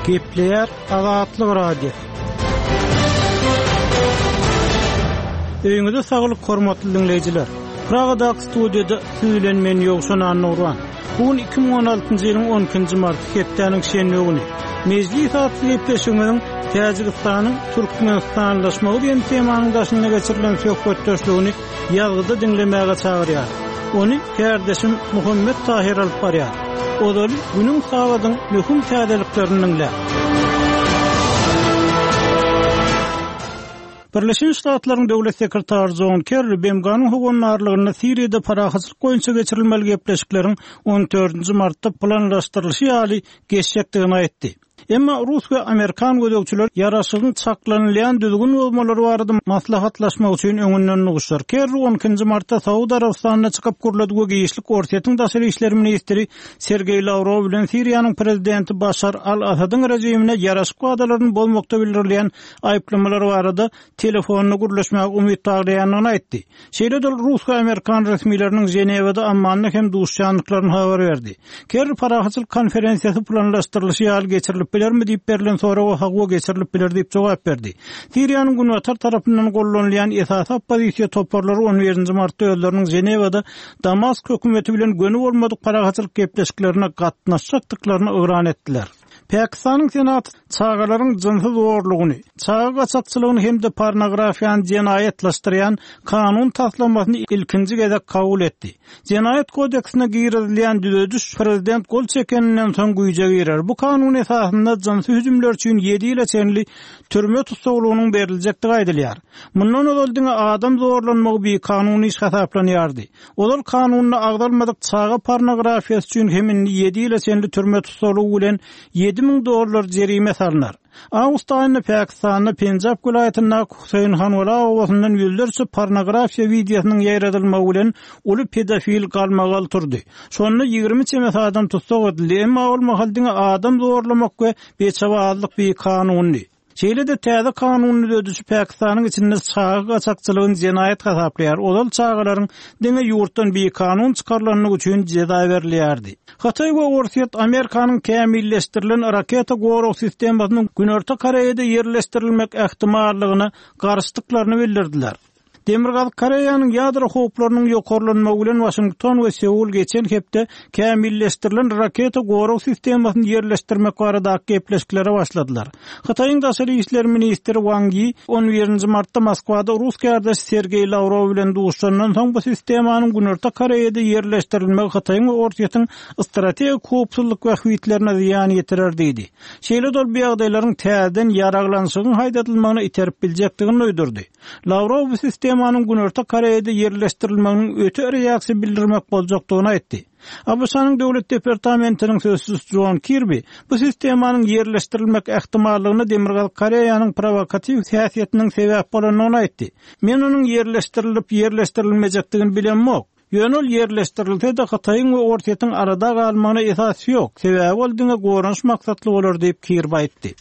Gepleýär Azatlyk Radiosy. Öýüňize saglyk hormatly diňleýjiler. Pragadaky studiýada siz bilen men Ýowşan Annagurban. Bu gün 2016-njy ýylyň 12-nji marty hepdäniň şenbe güni. Mejlis atly gepleşigimiziň Täjigistanyň türkmenistanlaşmagy diýen temanyň daşynda geçirilen söhbetdeşligini ýazgyda diňlemäge çagyrýar. Ony kärdeşim Muhammet Tahyr alyp barýar. Ozaly günüň sagadyň möhüm täzeliklerini diňläň. Birleşen Ştatlaryň Döwlet sekretary Jon Kerri BMG-niň howandarlygynda Siriýada parahatçylyk boýunça geçirilmeli gepleşikleriň on dördünji martda planlaşdyrylyşy ýaly geçjekdigini aýtdy. Emma rus we amerikan gözegçileri ýaraşygyň çaklanylýan düzgün bozmalary barada maslahatlaşmak üçin öňünden duşar. Kerri on ikinji martda Saud Arabystanyna çykyp gürledi we giçlik Orsýetiň daşary işler ministri Sergeý Lawrow bilen Siriýanyň prezidenti Başar al-Asadyň režimine ýaraşyk wadalaryny bozmakda bildirilýän aýyplamalar barada telefonda gürleşmäge umyt baglaýandygyny aýtdy. Şeýle-de ol rus we amerikan resmileriniň Ženewada, Ammanda hem duşuşýandyklaryny habar berdi. Kerri parahatçylyk konferensiýasy planlaşdyrylyşy ýaly geçirilip bilermi diýip berlen soraga hawa geçirilip biler diýip jogap berdi. Siriýanyň günbatar tarapyndan gollanylýan esasy oppozisiýa toparlary on birinji martda özleriniň Ženewada Damask hökümeti bilen göni bolmadyk parahatçylyk gepleşiklerine gatnaşjakdyklaryny yglan etdiler. Pakistanyň Senaty çagalaryň jynsy zorlugyny, çaga gaçakçylygyny hem-de pornografiýany jenaýatlaşdyrýan kanun taslamasyny ilkinji gezek kabul etdi. Jenaýat kodeksine girizilýän düzediş prezident gol çekeninden soň güýje girer. Bu kanun esasynda jynsy hüjümler üçin ýedi ýyla çenli türme tussaglygynyň beriljekdigi aýdylýar. Mundan ozal diňe adam zorlanmagy bikanun iş hasaplanýardy. Ozal kanunda agzalmadyk çaga pornografiýasy üçin hem indi ýedi ýyla çenli türme tussaglygy bilen 7000 dollar jerime salnar. Awgust aýynda Pakistanda Penjap welaýatyndaky Huseýn Hanwala obasyndan ýüzlerçe pornografiýa wideosynyň ýaýradylmagy bilen uly pedofil galmagal turdy. Şonda 20 çemesi adam tussag edildi, emma ol mahal diňe adam zorlamak we beçebazlyk bikanundy. Şeýle-de täze kanun düzedişi Pakistanyň içinde çaga gaçakçylygyny jenaýat hasaplaýar, ozal çagalaryň diňe ýurtdan bikanun çykarylandygy üçin jeza berilýärdi. Hytaý we Orsýet Amerikanyň kämilleşdirilen raketa gorag sistemasynyň Günorta Koreýada ýerleşdirilmek ähtimallygyna garşydyklaryny bildirdiler. Demirgazyk Koreýanyň ýadro howplarynyň ýokarlanmagy bilen Waşington we Seul geçen hepde kämilleşdirilen raketa gorag sistemasyny ýerleşdirmek baradaky gepleşiklere başladylar. Hytaýyň daşary işler ministri Wang Yi on birinji martda Moskwada rus kärdeşi Sergeý Lawrow bilen duşuşandan soň bu sistemanyň Günorta Koreýada ýerleşdirilmegi Hytaýyň we Orsýetiň strategik howpsuzlyk bähbitlerine zyýan ýetirer diýdi. Şeýle-de ol bu ýagdaýlaryň täzeden ýaraglanyşygyň haýdadylmagyna iterip biljekdigini duýdurdy. Lawrow bu sistemanyň Günorta Koreýada ýerleşdirilmeginiň öte reaksiýa bildirmek boljakdygyny aýtdy. ABŞ-nyň Döwlet departamentiniň sözçüsi Jon Kirbi bu sistemanyň ýerleşdirilmek ähtimallygyna Demirgazyk Koreýanyň prowokatiw häsiýetiniň sebäp bolandygyny aýtdy. Men onuň ýerleşdirilip-ýerleşdirilmejekdigini bilemok. Ýöne ol ýerleşdirilse-de Hytaýyň we Orsýetiň arada galmagyna esas ýok, sebäbi ol diňe goranyş maksatly bolar diýip, Kirby aýtdy.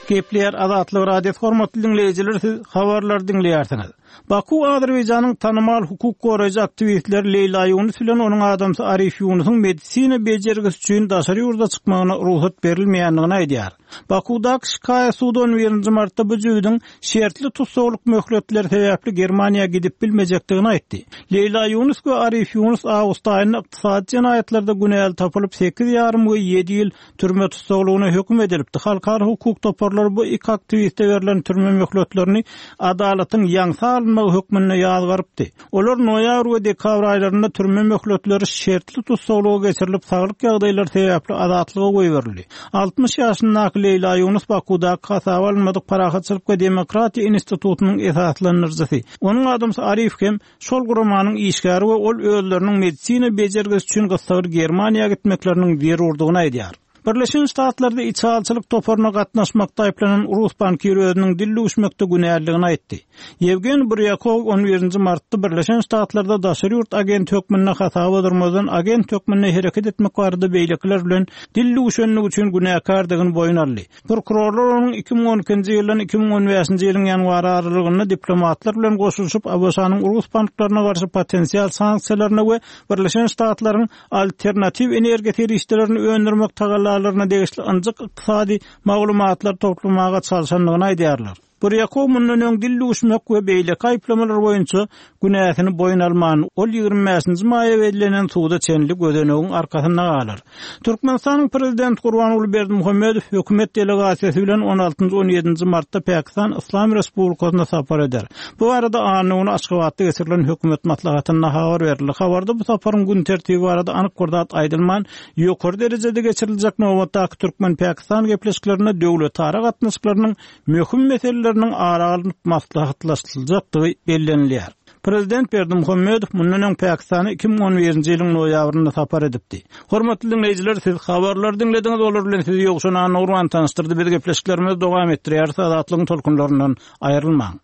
Gepleýär Azatlyk Radiosy hormatly diňleýjiler siz habarlary diňleýärsiňiz. Baku Azerbaýjanyň tanymal hukuk goraýjy aktiwistleri Leýla Ýunus bilen onuň adamsy Arif Ýunusyň medisina bejergisi üçin daşary ýurda çykmagyna rugsat berilmeýändigini aýdýar. Bakuwdaky şikaýat sudy on birinji martda bu jübüdiň şertli tussaglyk möhletleri sebäpli Germaniýa gidip bilmejekdigini aýtdy. Leýla Ýunus we Arif Ýunus awgust aýynda ykdysady jenaýatlarda günäli tapylyp, sekiz ýarym we ýedi ýyl türme tussaglygyna höküm edilipdi. Halkara hukuk toparlary bu iki aktiwiste berlen türme möhletlerini adalatyň ýaňsa alynmagy hökmünde ýazgarypdy. Olar noýabr we dekabr aýlarynda türme möhletleri şertli tussaglyga geçirilip, saglyk ýagdaýlary sebäpli azatlyga goýberildi. 60 ýaşyndaky Leýla Ýunus Bakuwdaky hasaba alynmadyk Parahatçylyk we demokratiýa institutynyň esaslandyryjysy. Onuň adamsy Arif hem şol guramanyň işgäri we ol özleriniň medisina bejergisi üçin gyssagly Germaniýa gitmekleriniň zerurdygyny aýdýar. Birleşen Ştatlarda içalyçylyk toparyna gatnaşmakda aýyplanan rus bankiri özüniň dil düwüşmekde günälidigini aýtdy. Ýewgeniý Burýakow on birinji martda Birleşen Ştatlarda daşary ýurt agenti hökmünde hasaba durmazdan agent hökmünde hereket etmek barada beýlekiler bilen dil düwüşenligi üçin günäkärdigini boýun aldy. Prokurorlar onuň 2012-nji ýyldan 2015-nji ýylyň ýanwary aralygynda diplomatlar bilen goşulyşyp ABŞ-nyň rus banklaryna garşy potensial sanksiýalaryna we Birleşen Ştatlaryň alternatiw energiýa serişdelerini öndürmek tagallalaryna degişli ynjyk ykdysady maglumatlar toplamaga çalşandygyny aýdýarlar. Burýakow mundan öň dil duşmak we beýleki aýyplamalar boýunça günäsini boýun alman, ol 25-nji maýa bellenen suda çenli gözenegiň arkasynda galar. Türkmenistanyň Prezidenti Gurbanguly Berdimuhamedow hökümet delegasiýasy bilen on altynjy, on ýedinji martda Pakistan Yslam Respublikasyna sapar eder. Bu barada anna güni Aşgabatda geçirilen hökümet maslahatynda habar berildi. Habarda bu saparyň gün tertibi barada anyk bir zat aýdylman, ýokary derejede geçiriljek nobatdaky türkmen-pakistan gepleşiklerinde döwletara gatnaşyklarynyň möhüm meseleleriniň ara alnyp maslahatlaşyljakdygy bellenilýär. Prezident Berdimuhamedow mundan öň Pakistana 2011-nji ýylyň noýabrynda sapar edipdi. Hormatly diňleýjiler, siz habarlary diňlediňiz, olar bilen sizi Ýowşan Annagurban tanyşdyrdy. Biz gepleşiklerimizi dowam etdirýäris, Azatlygyň tolkunlaryndan aýrylmaň.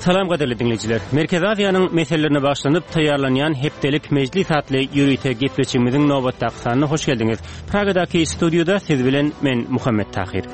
Salam gadyrly diňleýjiler! Merkezi Aziýanyň meselelerine bagyşlanyp taýýarlanýan Hepdelik mejlis atly ýörite gepleşigimiziň nobatdaky sanyna hoş geldiňiz. Pragadaky studiýada siz bilen men Muhammet Tahyr.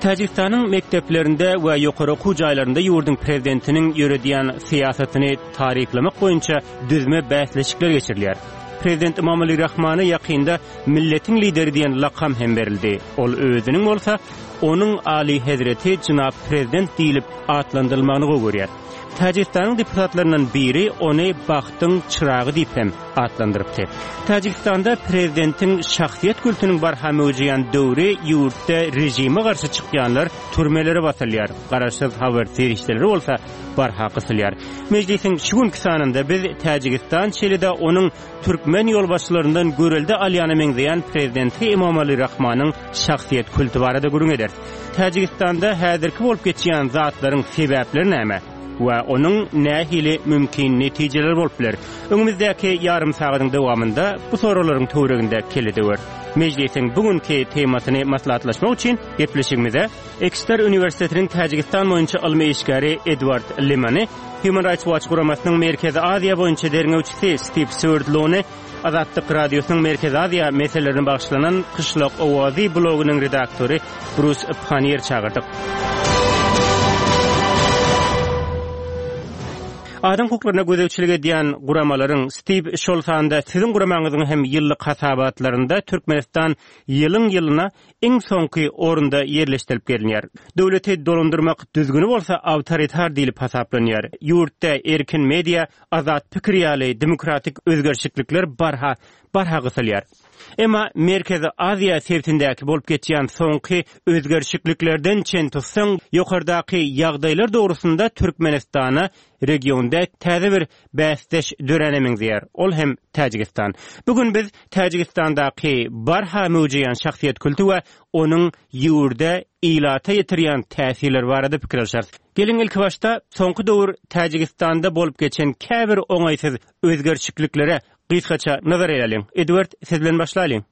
Täjigistanyň mekdeplerinde we ýokary okuw jaýlarynda ýurduň prezidentiniň ýöredýän syýasatyny taryplamak boýunça düzme bäsleşikler geçirilýär. Prezident Emomali Rahmana ýakynda Milletiň Lideri diýen lakam hem berildi. Ol özüniň bolsa Onuň Alyhezreti jenap Prezident diýlip atlandyrylmagyny gowy görýär. Täjigistanyň deputatlaryndan biri ony bagtyň çyragy diýip hem atlandyrypdy. Täjigistanda prezidentiň şahsyýet kultunyň barha möwjeýän döwri ýurtda režime garşy çykýanlar türmelere basylýar, garaşsyz habar serişdeleri bolsa barha gysylýar. Mejlisiň şu günki sanynda biz Täjigistan şeýle-de onuň türkmen ýolbaşçylaryndan görelde alýana meňzeýän prezidenti Emomali Rahmanyň şahsyýet kulty barada gürrüň ederis. Täjigistanda häzirki bolup geçýän zatlaryň sebäpleri näme we onuň nähili mümkin netijeleri bolup biler? Öňümizdäki ýarym sagadyň dowamynda bu soraglaryň töwereginde kelle döweris. Mejlisiň bu günki temasyny maslahatlaşmak üçin gepleşigimize Ekster uniwersitetiniň Täjigistan boýunça ylmy işgäri Edward Limany, Human Rights Watch guramasynyň Merkezi Aziýa boýunça derňewçisi Stiw Swerdlony, Azatlyk Radiosynyň Merkezi Aziýa meselelerine bagyşlanan Kyşlak owazy blogynyň redaktory Brus Panniýer çagyrdyk. Adam hukuklaryna gözegçilik edýän guramalaryň, Stiw, şol sanda siziň guramaňyzyň hem ýyllyk hasabatlarynda Türkmenistan ýylyň-ýylyna iň soňky orunda ýerleşdirilip gelinýär. Döwleti dolandyrmak düzgüni bolsa awtoritar diýlip hasaplanýar. Ýurtda erkin media, azat pikir ýaly demokratik özgerişiklikler barha barha gysylýar. Emma Merkezi Aziýa sebitindäki bolup geçýän soňky özgerişikliklerden çen tutsaň, ýokardaky ýagdaýlar dogrusynda Türkmenistana regionda täze bir bäsdeş döräne meňzeýär, ol hem Täjigistan. Bu gün biz Täjigistandaky barha möwjeýän şahsyýet kulty we onuň ýurda, ilata ýetirýän täsirleri barada pikir alşarys. Geliň ilkibaşda soňky döwür Täjigistanda bolup geçen käbir oňaýsyz özgerişikliklere gysgaça nazar aýlalyň. Edward, siz bilen başlalyň.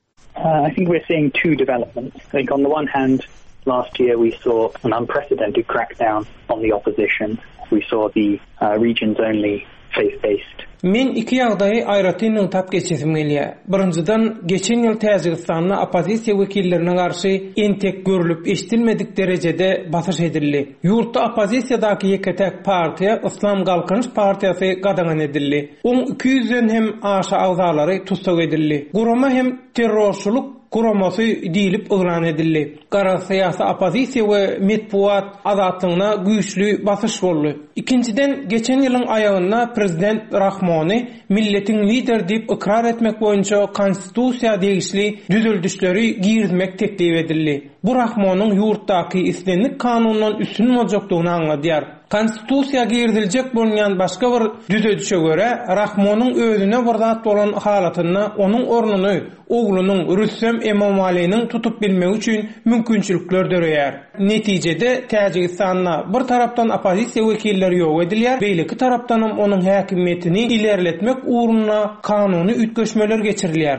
I think we're seeing two developments. I think on the one hand, last year we saw an unprecedented crackdown on the opposition. We saw the uh, region's only faith-based Men iki ýagdaýy aýratyn nygtap geçesim gelýär. Birinjiden, geçen ýyl Täjigistanda oppozisiýa wekillerine garşy entek görlüp-eşidilmedik derejede basyş edildi. Ýurtda oppozisiýadaky ýeke-täk partiýa, Yslam Galkynyş partiýasy gadagan edildi. Oň iki ýüzden hem aşa agzalary tussag edildi. Gurama hem terrorçylyk guramasy diýlip yglan edildi. Garaz, syýasy oppozisiýa we metbugat azatlygyna güýçli basyş boldy. Ikinjiden, geçen ýylyň aýagynda prezident Rahmony milletiň lideri diýip ykrar etmek boýunça konstitusiýa degişli düzeldişleri girizmek teklip edildi. Bu Rahmonyň ýurtdaky islendik kanundan üstün boljakdygyny aňladýar. Konstitusiýa giriziljek bolunýan başga bir düzedişe görä, Rahmonyň özüne bir zat bolan halatynda onuň ornuny oglunyň Rüstem Emomaliniň tutup bilmegi üçin mümkinçilikler döreýär. Netijede, Täjigistanda bir tarapdan oppozisiýa wekilleri ýok edilýär, beýleki tarapdanam onuň häkimiýetini ilerletmek ugrunda kanuny üýtgeşmeler geçirilýär.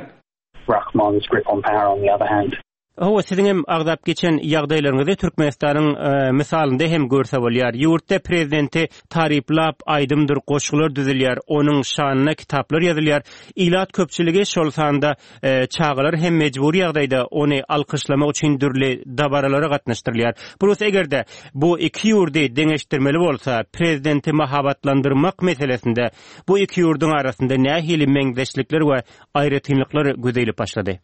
Rahmon's grip on power on the other hand. Hawa, siziň hem agzap geçen ýagdaýlaryňyzy Türkmenistanyň mysalynda hem görse bolýar. Ýurtda prezidenti taryplap aýdymdyr goşgular düzülýär, onuň şanyna kitaplar ýazylýar. Ilat köpçüligi, şol sanda çagalar hem mejbury ýagdaýda ony alkyşlamak üçin dürli dabaralara gatnaşdyrylýar. Plus eger-de bu iki ýurdy deňeşdirmeli bolsa, prezidenti mahabatlandyrmak meselesinde bu iki ýurduň arasynda nähili meňzeşlikler we aýratynlyklar göze ilip başlady?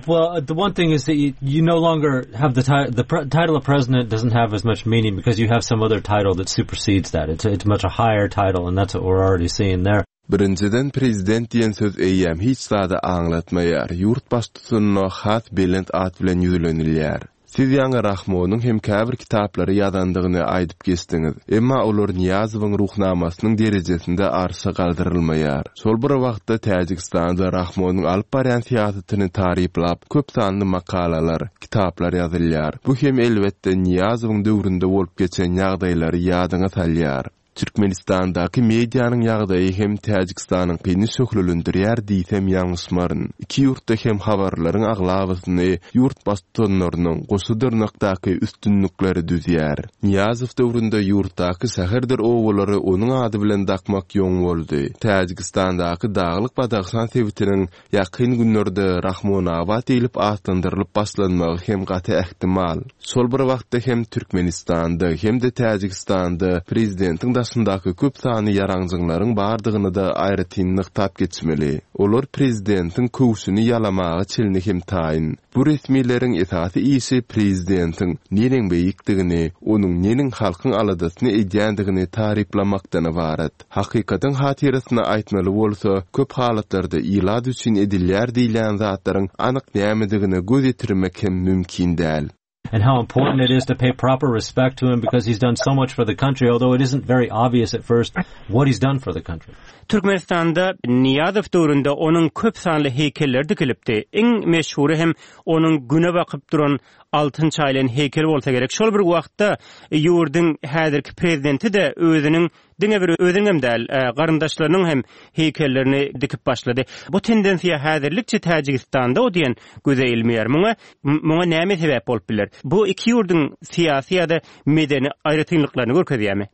Well, the one thing is that you, you no longer have the title. The pre- title of president doesn't have as much meaning because you have some other title that supersedes that. It's it's much a higher title, and that's what we're already seeing there. Birinjiden prezident diýen söz eýýäm hiç zady aňlatmaýar, ýurt baştutanyna has belent at bilen ýüzlenilýär. Siz ýaňy Rahmonyň hem käbir kitaplary ýazandygyny aýdyp geçdiňiz. Emma olar Nyýazowyň Ruhnamasynyň derejesinde arşa galdyrylmaýar. Şol bir wagtda Täjigistanda Rahmonyň alyp barýan syýasatyny taryplap köp sanly makalalar, kitaplar ýazylýar. Bu hem elbetde Nyýazowyň döwründe bolup geçen ýagdaýlary ýadyňa salýar. Türkmenistandaky medianyň ýagdaýy hem Täjigistanyňkyny şöhlelendirýär diýsem ýalňyşmaryn. Iki ýurtda hem habarlaryň aglabasyny ýurt baştutanlarynyň goşa dyrnakdaky üstünlikleri düzýär. Nyýazow döwründe ýurtdaky şäherdir obalary onuň ady bilen dakmak ýoň boldy. Täjigistandaky Daglyk Badahşan sebitiniň Ýakyn günlerde Rahmonabat diýlip atlandyrylyp başlanmagy hem gaty ähtimal. Şol bir wagtda hem Türkmenistanda, hem-de Täjigistanda prezidentiň daşyndaky köp sanly ýaranjyňlaryň bardygyny-da aýratyn nygtap geçmeli. Olar prezidentiň köwşüni ýalamaga çenli hem taýyn. Bu resmileriň esasy işi prezidentiň neneň beýikdigini, onuň neneň halkyň aladasyny edýändigini taryplamakdan ybarat. Hakykatyň hatyrasyna aýtmaly bolsa, köp halatlarda ilat üçin edilýär diýilýän zatlaryň anyk nämedigine göz ýetirmek hem mümkin däl. And how important it is to pay proper respect to him because he's done so much for the country, although it isn't very obvious at first what he's done for the country. Türkmenistanda Nyýazow döwründe onuň köp sanly heýkelleri dikilipdi. Iň meşhury hem onuň Güne bakyp duran altyn çaýylan heýkeli bolsa gerek. Şol bir wagtda ýurduň häzirki prezidenti-de özüniň Diňe bir özüniňem däl, garyndaşlarynyň hem heýkellerini dikip başlady. Bu tendensiýa häzirlikçe Täjigistanda o diýen göze ilmeýär. Muňa muňa näme sebäp bolup biler? Bu iki ýurduň syýasy ýa-da medeni aýratynlyklaryny görkezýärmi?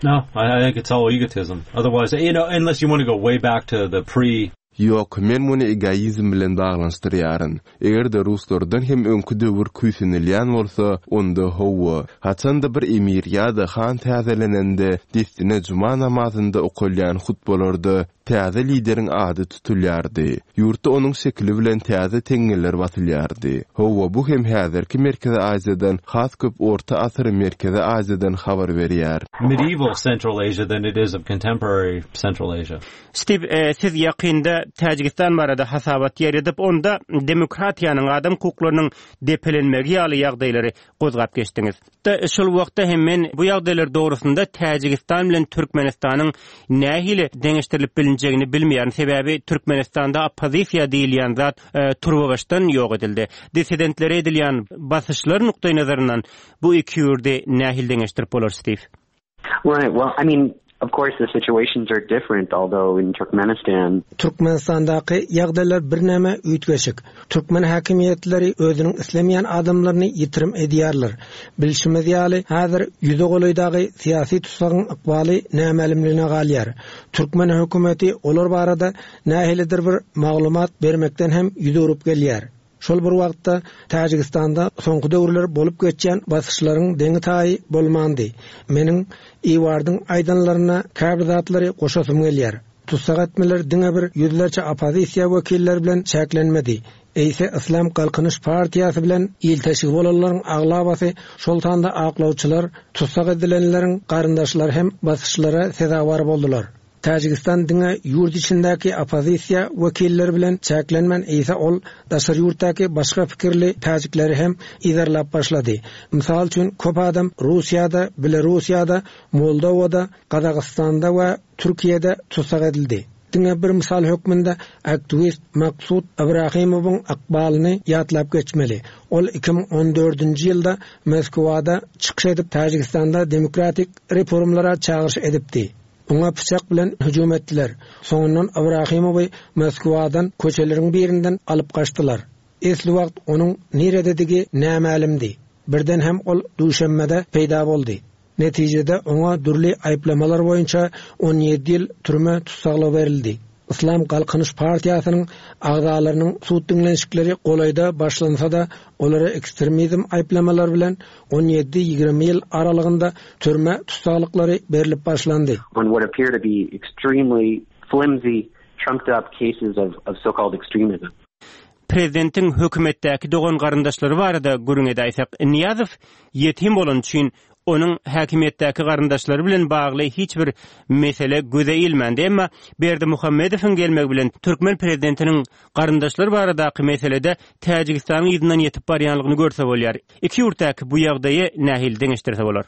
No, I think it's all egotism. Otherwise, you know, unless you want to go way back to the pre Ýok, men muny egoizm bilen baglanyşdyrýaryn. Eger-de ruslardan hem öňki döwür küýsenilýän bolsa, onda hawa. Haçan-da bir emir ýa-da han täzelenende, dessine juma namazynda okalýan hutbalarda täze lideriň ady tutulýardy. Ýurtda onuň şekili bilen täze teňňeler basylýardy. Hawa, bu hem häzirki Merkezi Aziýadan has köp orta asyr Merkezi Aziýadan habar berýär. Medieval Central Asia than it is of contemporary Central Asia. Stiw, siz ýakynda Täjigistan barada hasabat ýaýradyp, onda demokratiýanyň, adam hukuklarynyň depelenmegi ýaly ýagdaýlary gozgap geçdiňiz. Şol wagtda hem men bu ýagdaýlar dogrusynda Täjigistan bilen Türkmenistanyň nähili deňeşdirilip bilinjegini bilmeýärin, sebäbi Türkmenistanda oppozisiýa diýilýän zat turbabaşdan ýok edildi. Dissidentlere edilýän basyşlar nukdaýnazaryndan bu iki ýurdy nähili deňeşdirip bolar, Stiw? Right. Well, I mean, of course the situations are different, although in Turkmenistan. Türkmenistandaky ýagdaýlar birneme üýtgeşik. Türkmen häkimiýetleri özüniň islemeýän adamlaryny ýitirim edýärler. Bilşimiz ýaly, häzir ýüze golaý dagy syýasy tussagyň ykbaly nämälimligine galýar. Türkmen hökümeti olar barada nähilidir bir maglumat bermekden hem ýüz öwrüp gelýär. Şol bir wagtda, Täjigistanda soňky döwürler bolup geçýän basyşlaryň deňi-taýy bolmandy. Meniň Iwardyň aýdanlaryna käbir zatlary goşasym gelýär. Tussag etmeler diňe bir ýüzlerçe oppozisiýa wekilleri bilen çäklenmedi, eýse Yslam Galkynyş partiýasy bilen ilteşigi bolanlaryň aglabasy, şol sanda aklawçylar, tussag edilenleriň garyndaşlary hem basyşlara sezewar boldular. Täjigistan diňe ýurt içindäki oppozisiýa wekilleri bilen çäklenmän eýse ol daşary ýurtdaky başga pikirli täjikleri hem yzarlap başlady. Mysal üçin köp adam Russiýada, Belarussiýada, Moldowada, Gazagystanda we Türkiýede tussag edildi. Diňe bir mysal hökmünde aktiwist Maksut Ibrahimowyň ykbalyny ýatlap geçmeli. Ol 2014-nji ýylda Moskwada çykyş edip Täjigistanda demokratik reformlara çagyryş edipdi. Oňa pyçak bilen hüjüm etdiler. Soňundan Ibrahimowy Moskwadan köçeleriň birinden alyp gaçdylar. Esli wagt onuň nirededigi nämälimdi. Birden hem ol Duşenbede peýda boldy. Netijede oňa dürli aýyplamalar boýunça 17 ýyl türme tussaglygy berildi. Yslam Galkynyş partiýasynyň agzalarynyň sud diňlenişikleri golaýda başlansa-da, olara ekstremizm aýyplamalary bilen on ýedi-ýigrimi ýyl aralygynda türme tussaglyklary berlip başlandy. On what appear to be extremely flimsy, trumped up cases of of so-called extremism. Prezidentiň hökümetdäki dogan-garyndaşlary barada gürrüň edäýsek, Nyýazow ýetim bolany üçin onuň häkimiýetdäki garyndaşlary bilen bagly hiç bir mesele göze ilmändi. Emma Berdimuhamedowyň gelmegi bilen türkmen prezidentiniň garyndaşlary baradaky meselede Täjigistanyň yzyndan ýetip barýanlygyny görse bolýar. Iki ýurtdaky bu ýagdaýy nähili deňeşdirse bolar?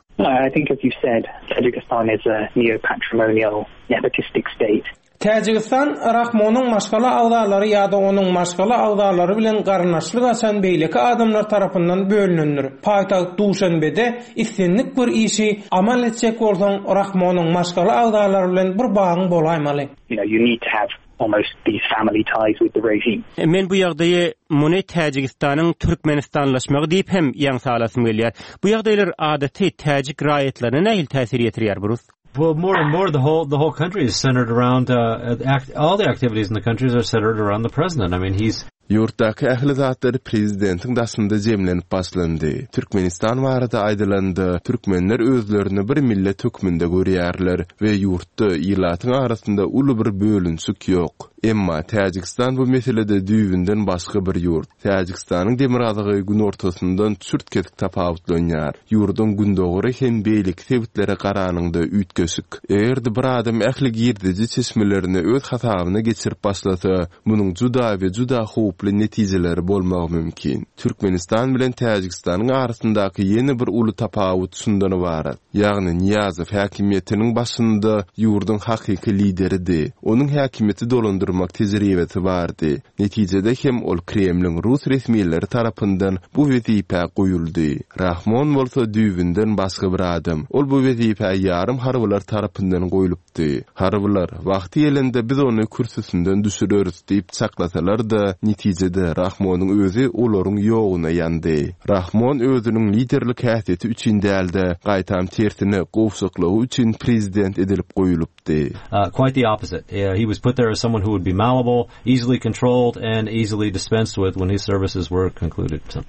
I think as you said, Tajikistan is a neo-patrimonial nepotistic state. Täjigistan Rahmonyň maşgala agzalary ýa-da onuň maşgala agzalary bilen garyndaşlyk açan beýleki adamlar tarapyndan bölünendir. Paýtagt Duşanbede islendik bir işi amal etjek bolsaň Rahmonyň maşgala agzalary bilen bir bagyň bolaýmaly. You know, you need to have almost these family ties with the regime. Men bu ýagdaýy muny Täjigistanyň türkmenistanlaşmagy diýip hem ýaňsa alasym gelýär. Bu ýagdaýlar adaty täjik raýatlaryna nähili täsir ýetirýär, Brus? Well, more and more, the whole the whole country is centered around uh, act, all the activities in the countries are centered around the president. I mean, he's Ýurtdaky ähli zatlar prezidentiň daşynda jemlenip başlandy. Türkmenistan barada aýdylanda, türkmenler özlerini bir millet hökmünde görýärler we ýurtda ilatyň arasynda uly bir bölünişik ýok. Emma Täjigistan bu meselede düýbünden başga bir ýurt. Täjigistanyň demirgazygy günortasyndan çürt-kesik tapawutlanýar. Ýurduň gündogary hem beýleki sebitlere garanyňda üýtgeşik. Eger-de bir adam ähli girdeji çeşmelerini öz hasabyna geçirip başlasa, munuň juda we juda howply netijeleri bolmagy mümkin. Türkmenistan bilen Täjigistanyň arasyndaky ýene bir uly tapawut şundan ybarat. Ýagny Nyýazow häkimiýetiniň başynda ýurduň hakyky lideridi. Onuň häkimiýeti dolandyrmak tejribesi bardy. Netijede hem ol Kremliň rus resmileri tarapyndan bu wezipä goýuldy. Rahmon bolsa düýbünden başga bir adam. Ol bu wezipä ýarym harbylar tarapyndan goýlupdy. Harbylar, wagty gelende biz ony kürsüsinden düşüreris diýip çaklasalar-da, netijede Rahmonyň özi olaryň ýoguna ýandy. Rahmon özüniň liderlik häsiýeti üçin däl-de, gaýtam tersine gowşaklygy üçin prezident edilip goýulypdy. Uh, quite the opposite. Uh, he was put there as someone who would be malleable, easily controlled, and easily dispensed with when his services were concluded. So.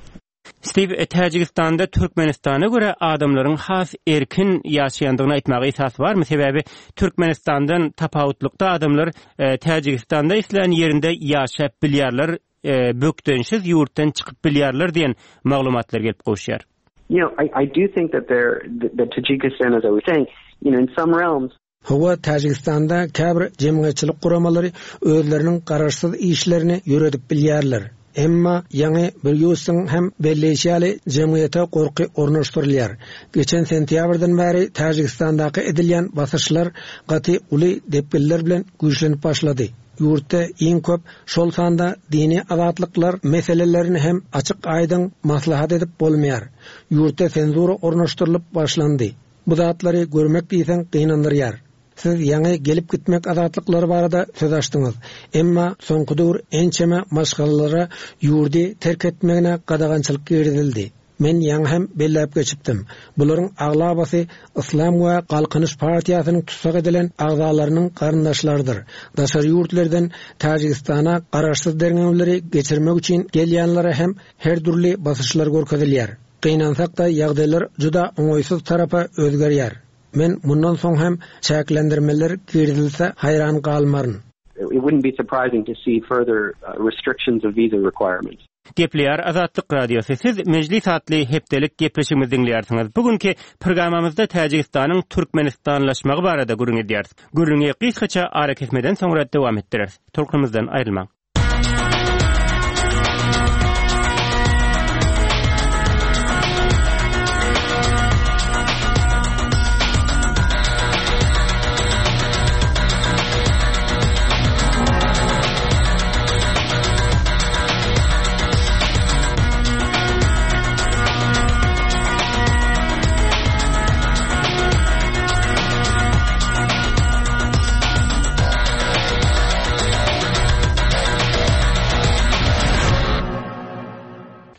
Steve, e, Täjigistanda Türkmenistana görä adamlaryň has erkin ýaşaýandygyny aýtmaga esas barmy? Sebäbi Türkmenistandan tapawutlykda adamlar e, Täjigistanda islän ýerinde ýaşap bilýärler, e, bökdençsiz ýurtdan çykyp bilýärler diýen maglumatlar gelip gowuşýar. You know, I, I do think that there, that Tajikistan, as I was saying, you know, in some realms, Hawa, Täjigistanda käbir jemgyýetçilik guramalary özleriniň garaşsyz işlerini ýöredip bilýärler. Emma ýaňy Brýusyň hem belleýşi ýaly, jemgyýete gorky ornaşdyrylýar. Geçen sentýabrdan bäri Täjigistandaky edilýän basyşlar gaty uly depginler bilen güýçlenip başlady. Ýurtda iň köp, şol sanda dini azatlyklar meselelerini hem açyk-aýdyň maslahat edip bolmaýar. Ýurtda senzura ornaşdyrylyp başlandy. Bu zatlary görmek diýseň gynandyrýar. Siz ýaňy gelip-gitmek azatlyklary barada söz açdyňyz. Emma soňky döwür ençeme maşgalalara ýurdy terk etmegine gadagançylyk girizildi. Men ýaňy hem belläp geçipdim. Bularyň aglabasy Yslam we Galkynyş partiýasynyň tussag edilen agzalarynyň garyndaşlarydyr. Daşary ýurtlerden Täjigistana garaşsyz derňewleri geçirmek üçin gelýänlere hem her dürli basyşlar görkezilýär. Gynansak-da, ýagdaýlar juda oňaýsyz tarapa özgerýär. Men mundan soň hem çäklendirmeler girizilse haýran galmaryn. It wouldn't be surprising to see further restrictions of visa requirements. Gepleýär Azatlyk Radiosy. Siz Mejlis atly hepdelik gepleşigimizi diňleýärsiňiz. Bu günki programmamyzda Täjigistanyň türkmenistanlaşmagy barada gürrüň edýäris. Gürrüňi gysgaça arakesmeden soňra dowam etdireris. Tolkunymyzdan aýrylmaň.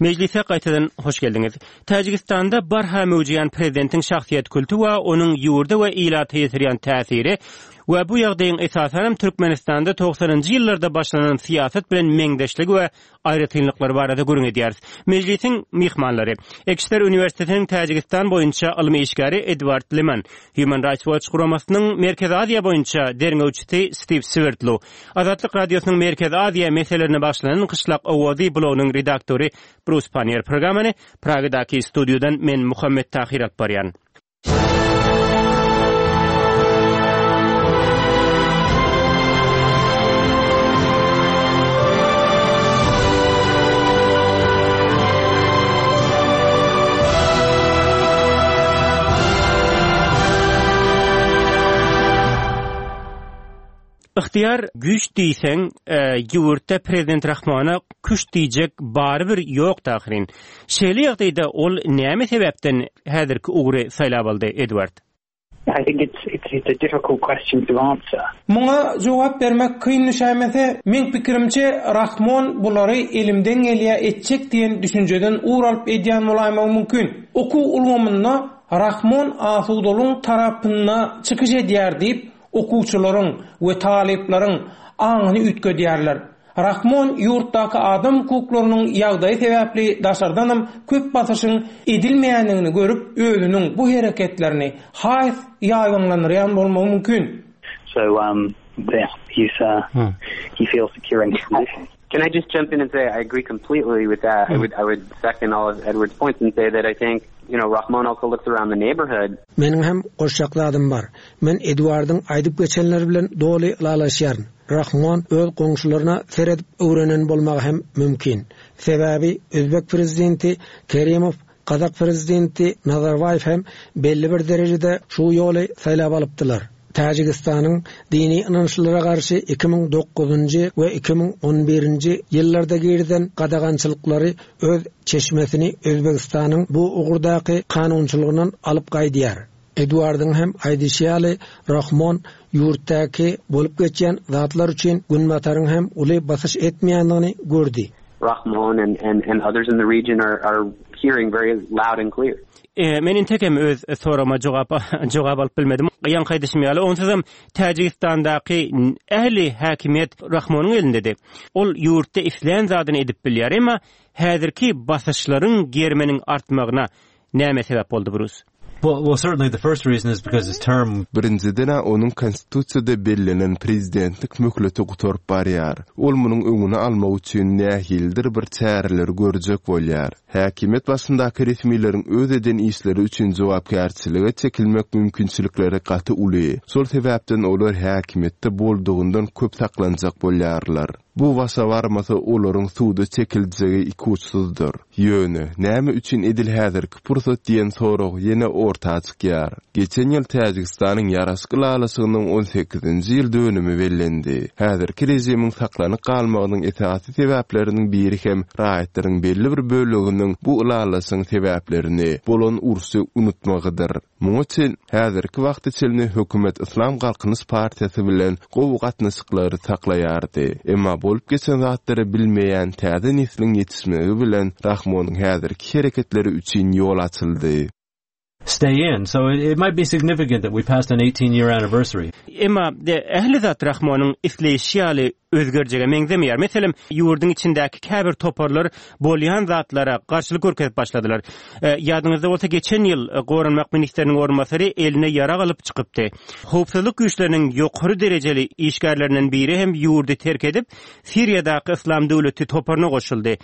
Mejlise gaýtadan hoş geldiňiz. Täjigistanda barha möwjeýän prezidentiň şahsyýet kulty we onuň ýurda we ilata ýetirýän täsiri we bu ýagdaýyň esasanam Türkmenistanda togsanynjy ýyllarda başlanan syýasat bilen meňzeşligi we aýratynlyklary barada gürrüň edýäris. Mejlisiň myhmanlary, Ekster uniwersitetiniň Täjigistan boýunça ylmy işgäri Edward Leman, Human Rights Watch guramasynyň Merkezi Aziýa boýunça derňewçisi Stiw Swerdlow, Azatlyk Radiosynyň Merkezi Aziýa meselelerine bagyşlanan Gyşlak owazy blogynyň redaktory Brus Panniýer. Programmany Pragadaky studiýadan men Muhammet Tahyr alyp barýan. Ygtyýar güýç diýseň, ýurtda prezident Rahmona küşt diýjek barybir ýokdy ahyryn. Şeýle ýagdaýda ol näme sebäpden häzirki ugry saýlap aldy, Edward? I think it's it's a difficult question to answer. Muňa jogap bermek kyn düşäýmese, meň pikirimçe Rahmon bulary elimden gelýä etjek diýen düşünjeden ugur alyp edýän bolaýmagy mümkin. Okuw ulgamynda Rahmon asudalygyň tarapynda çykyş edýär diýip, okuwçylaryň we talyplaryň aňyny üýtgedýärler. Rahmon ýurtdaky adam hukuklarynyň ýagdaýy sebäpli daşardanam köp basyşyň edilmeýändigini görüp özüniň bu hereketlerini has ýaýbaňlandyrýan bolmagy mümkin. So um yeah he's uh he feels secure in his position. Can I just jump in and say I agree completely with that. I would I would second all of Edward's points and say that I think, you know, Rahmon also looks around the neighborhood. Meniň hem goşjak zadym bar. Men Edwardyň aýdyp geçenleri bilen doly ylalaşýaryn. Rahmon öz goňşularyna seredip öwrenen bolmagy hem mümkin. Sebäbi özbek prezidenti Kerimow, gazak prezidenti Nazarbaýew hem belli bir derejede şu ýoly saýlap alypdylar. Täjigistanyň dini ynançlylara garşy 2009-njy we 2011-nji ýyllarda girizen gadagançylyklary öz çeşmesini Özbegistanyň bu ugurdaky kanunçylygyndan alyp gaýdýar. Eduardyň hem aýdyşy ýaly, Rahmon ýurtdaky bolup geçýän zatlar üçin Günbataryň hem uly basyş etmeýändigini gördi. Rahmon and and and others in the region are are hearing very loud and clear. Men entegem öz soragyma jogap jogap alyp bilmedim. Ýaňky aýdyşym ýaly, onsuzam Täjigistandaky ähli häkimiýet Rahmonyň elindedi. Ol ýurtda islän zadyny edip bilýär. Emma häzirki basyşlaryň geriminiň artmagyna näme sebäp boldy, Brus? Well, well, certainly the first reason is because his term. Birinjiden-ä onuň Konstitusiýada bellenen prezidentlik möhleti gutaryp barýar. Ol munuň öňüni almak üçin nähilidir bir çäreleri görjek bolýar. Häkimiýet başyndaky resmileriň öz eden işleri üçin jogapkärçilige çekilmek mümkinçilikleri gaty uly. Şol sebäpden olar häkimiýetde boldugyndan köp saklanjak bolýarlar. Bu başa barmasa olaryň suda çekiljegi ikuçsuzdyr. Ýöne, näme üçin edil häzirki pursat diýen sorag ýene orta çykýar. Geçen ýyl Täjigistanyň ýaraşyk ylalaşygynyň on sekizinji ýyl dönümi bellendi. Häzirki režimiň saklanyp galmagynyň esasy sebäpleriniň biri hem raýatlaryň belli bir böleginiň bu ylalaşygyň sebäplerini, bolan urşy unutmagydyr. Muňa çen, häzirki wagta çenli hökümet Yslam Galkynyş partiýasy bilen gowy gatnaşyklary saklaýardy. Emma bolup geçen zatlary bilmeýän täze nesliň ýetişmegi bilen Rahmonyň häzirki hereketleri üçin ýol açyldy. Stay in. So it, it might be significant that we passed an 18-year anniversary. Emma ähli zat Rahmonyň isleýşi ýaly özgerjege meňzemeýär. Meselem, ýurduň içindäki käbir toparlar bolýan zatlara garşylyk görkezip başladylar. Ýadyňyzda bolsa, geçen ýyl goranmak ministriniň orunbasary eline ýarag alyp çykypdy. Howpsuzlyk güýçleriniň ýokary derejeli işgärlerinden biri hem ýurdy terk edip, Siriýadaky Yslam döwleti toparyna goşuldy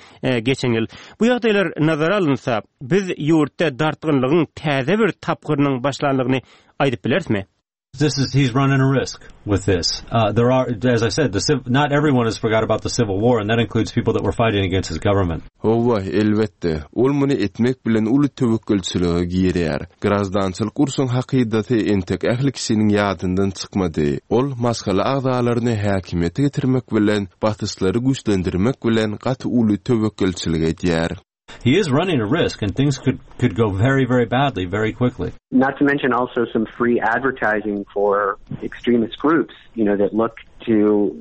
geçen ýyl. Bu ýagdaýlar nazara alynsa, biz ýurtda dartgynlygyň täze bir tapgyrynyň başlandygyny aýdyp bilerismi? This is he's running a risk with this. Uh, there are, as I said, the not everyone has forgot about the civil war, and that includes people that were fighting against his government. Hawa, elbetde, ol muny etmek bilen uly töwekgelçilige girýär. Graždançylyk urşuň hakydasy entek ähli kişiniň ýadyndan çykmady. Ol maşgala agzalaryny häkimiýete getirmek bilen, basyşlary güýçlendirmek bilen gaty uly töwekgelçilik edýär. He is running a risk and things could could go very very badly very quickly. Not to mention also some free advertising for extremist groups, you know, that look to,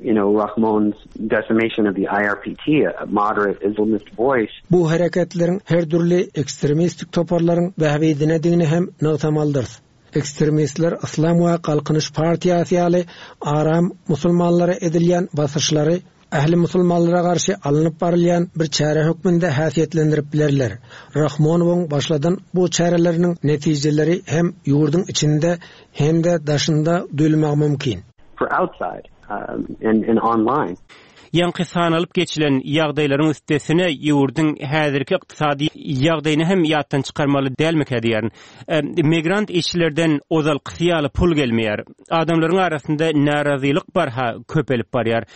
you know, Rahmon's decimation of the IRPT, a moderate Islamist voice. Bu hereketleriň her dürli ekstremistik toparlaryň bähbidinedigini hem nygtamalydyrys. Ekstremistler Yslam we Galkynyş partiýasy ýaly aram musulmanlara edilýän basyşlary ähli musulmanlara garşy alnyp barylýan bir çäre hökmünde häsiýetlendirip bilerler. Rahmonowyň başladan bu çäreleriniň netijeleri hem ýurduň içinde hem-de daşynda duýulmagy mümkin. For outside and and online. Ýaňky sanalyp geçilen ýagdaýlaryň üstesine ýurduň häzirki ykdysady ýagdaýyny hem ýatdan çykarmaly dälmikä diýýärin. Migrant işçilerden ozalkysy ýaly pul gelmeýär. Adamlaryň arasynda närazylyk barha köpelip barýar.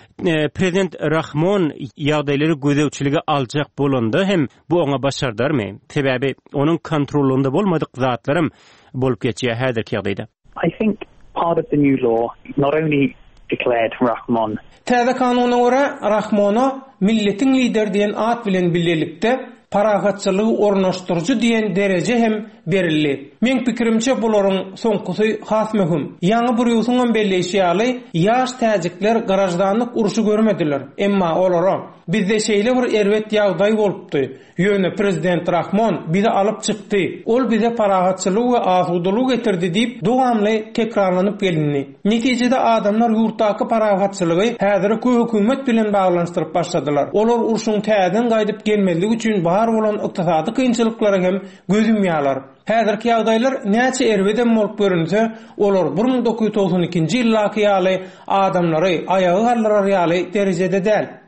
Prezident Rahmon ýagdaýlary gözegçilige aljak bolanda hem bu oňa başardarmy? Sebäbi onuň kontrollygynda bolmadyk zatlaram bolup geçýär häzirki ýagdaýda. I think part of the new law not only declared Rahmon. Täze kanuna görä, Rahmona Milletiň lideri diýen at bilen bilelikde parahatçylygy ornaşdyryjy diýen dereje hem berildi. Meň pikirimçe bularyň soňkusy has möhüm. Ýaňy Brýusyňam belleýşi ýaly, ýaş täjikler graždanlyk urşy görmediler. Emma olara, Bizde şeýle bir erbet ýagdaý bolupdy. Ýöne prezident Rahmon bizi alyp çykdy. Ol bize parahatçylygy we asudalygy getirdi diýip, dowamly tekrarlanyp gelindi. Netijede adamlar ýurtdaky parahatçylygy häzirki hökümet bilen baglanyşdyryp başladylar. Olar urşuň täzeden gaýdyp gelmezligi üçin bar bolan ykdysady kynçylyklara hem göz ýumýarlar. Häzirki ýagdaýlar näçe erbedem bolup görünse, olar 1992-nji ýyldaky ýaly adamlary aýaga galdyrar ýaly derejede däl.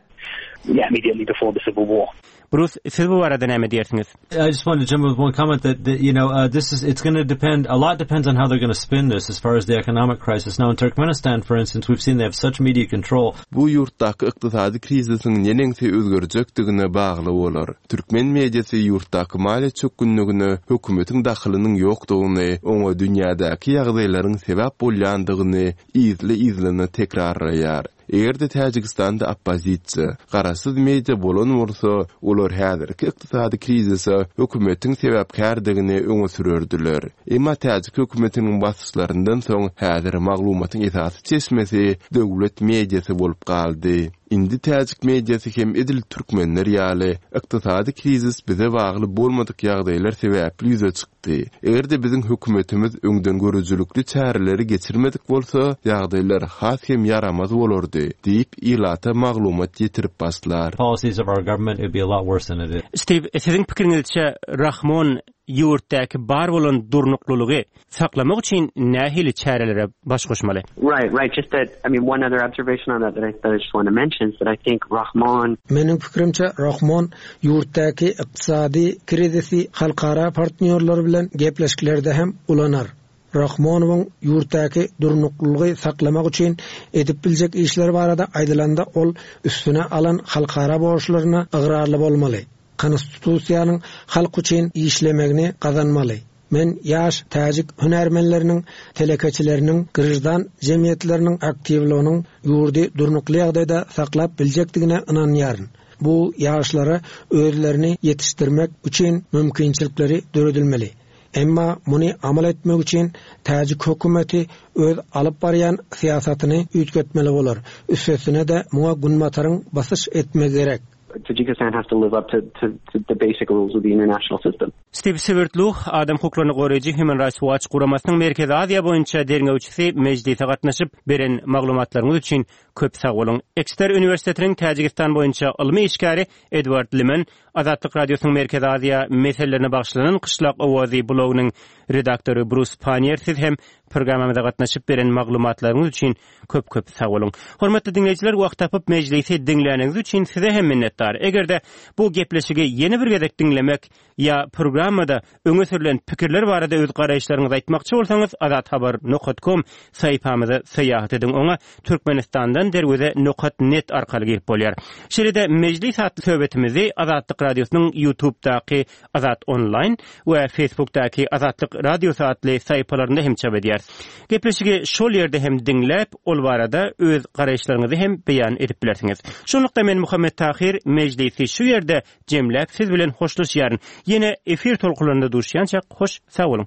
Yeah, immediately before the civil war. Brus, siz bu barada näme diýersiňiz? I just wanted to jump with one comment that, that you know, uh, this is, it's going to depend, a lot depends on how they're going to spin this as far as the economic crisis. Now in Turkmenistan, for instance, we've seen they have such media control. Bu ýurtdaky ykdysady krizisiň neneňsi özgerjekdigine bagly bolar. Türkmen mediasy ýurtdaky maliýe çökgünligine hökümetiň dahylynyň ýokdugyny, oňa dünýädäki ýagdaýlaryň sebäp bolýandygyny yzly-yzlyna tekrarlaýar. Eger-de Täjigistanda oppozisiýa, garaşsyz media bolan bolsa, olar häzirki ykdysady krizise hökümetiň sebäpkärdigini öňe sürerdiler. Emma täjik hökümetiniň basyşlaryndan soň häzir maglumatyň esasy çeşmesi döwlet mediasy bolup galdy. Indi täjik mediasy hem edil türkmenler ýaly, ykdysady krizis bize bagly bolmadyk ýagdaýlar sebäpli ýüze çykdy. Eger-de biziň hökümetimiz öňdengörüjilikli çäreleri geçirmedik bolsa, ýagdaýlar has hem ýaramaz bolardy, diýip, ilata maglumat ýetirip başlar. Policies of our government, it would be a lot worse than it is. Stiw, siziň pikiriňizçe, Rahmon ýurtdaky bar bolan durnuklylygy saklamak üçin nähili çärelere baş goşmaly? Right, right. Just that, I mean, one other observation on that that I, that I just want to mention is that I think Rahmon Meniň pikirimçe, Rahmon ýurtdaky ykdysady krizisi halkara partnýorlar bilen gepleşiklerde hem ulanar. Rahmonowyň ýurtdaky durnuklylygy saklamak üçin edip biljek işleri barada aýdylanda ol üstüne alan halkara borçlaryna ygrarly bolmaly. Konstitusiýanyň halk üçin işlemegini gazanmaly. Men ýaş täjik hünärmenleriniň, telekeçileriniň, graždan jemgyýetleriniň aktiwliginiň ýurdy durnukly ýagdaýda saklap biljekdigine ynanýaryn. Bu ýaşlara özlerini ýetişdirmek üçin mümkinçilikleri döredilmeli. Emma muny amal etmek üçin täjik hökümeti öz alyp barýan syýasatyny üýtgetmeli bolar. Üstesine-de muňa Günbataryň basyş etmegi gerek. Tajikistan has to live up to, to, to the basic rules of the international system. Stiw Swerdlow, adam hukuklaryny goraýjy Human Rights Watch guramasynyň Merkezi Aziýa boýunça derňewçisi mejlise gatnaşyp, beren maglumatlaryňyz üçin köp sag boluň. Ekster uniwersitetiniň Täjigistan boýunça ylmy işgäri Edward Limen, Azatlyk Radiosynyň Merkezi Aziýa meselelerine bagyşlanan Gyşlak owazy blogynyň redaktory Brus Pannier siz hem programmamyza gatnaşyp beren maglumatlaryňyz üçin köp-köp sag boluň. Hormatly diňleýjiler wagt tapyp mejlisi diňläniňiz üçin size hem minnetdar. Eger-de bu gepleşigi ýene bir gezek diňlemek ýa programmada öňe sürlen pikirler barada öz garaýyşlaryňyzy aýtmakçy bolsaňyz azathabar nokat kom saýypamyza syýahat ediň oňa Türkmenistandan derweze nokat net arkaly girip bolýar. Şeýle-de Mejlis atly söhbetimizi Azatlyk Radiosynyň Ýutubdaky Azat Onlaýn we Facebookdaky Azatlyk Radiosy atly saýypalarynda hem çap edýäris. Gepleşigi şol ýerde hem diňläp, ol barada öz garaýyşlaryňyzy hem beýan edip bilersiňiz. Şunlukda men Muhammet Tahyr mejlisi şu ýerde jemläp siz bilen hoşlaşýaryn. Ýene efir tolkunlarynda duşýançak hoş sag boluň.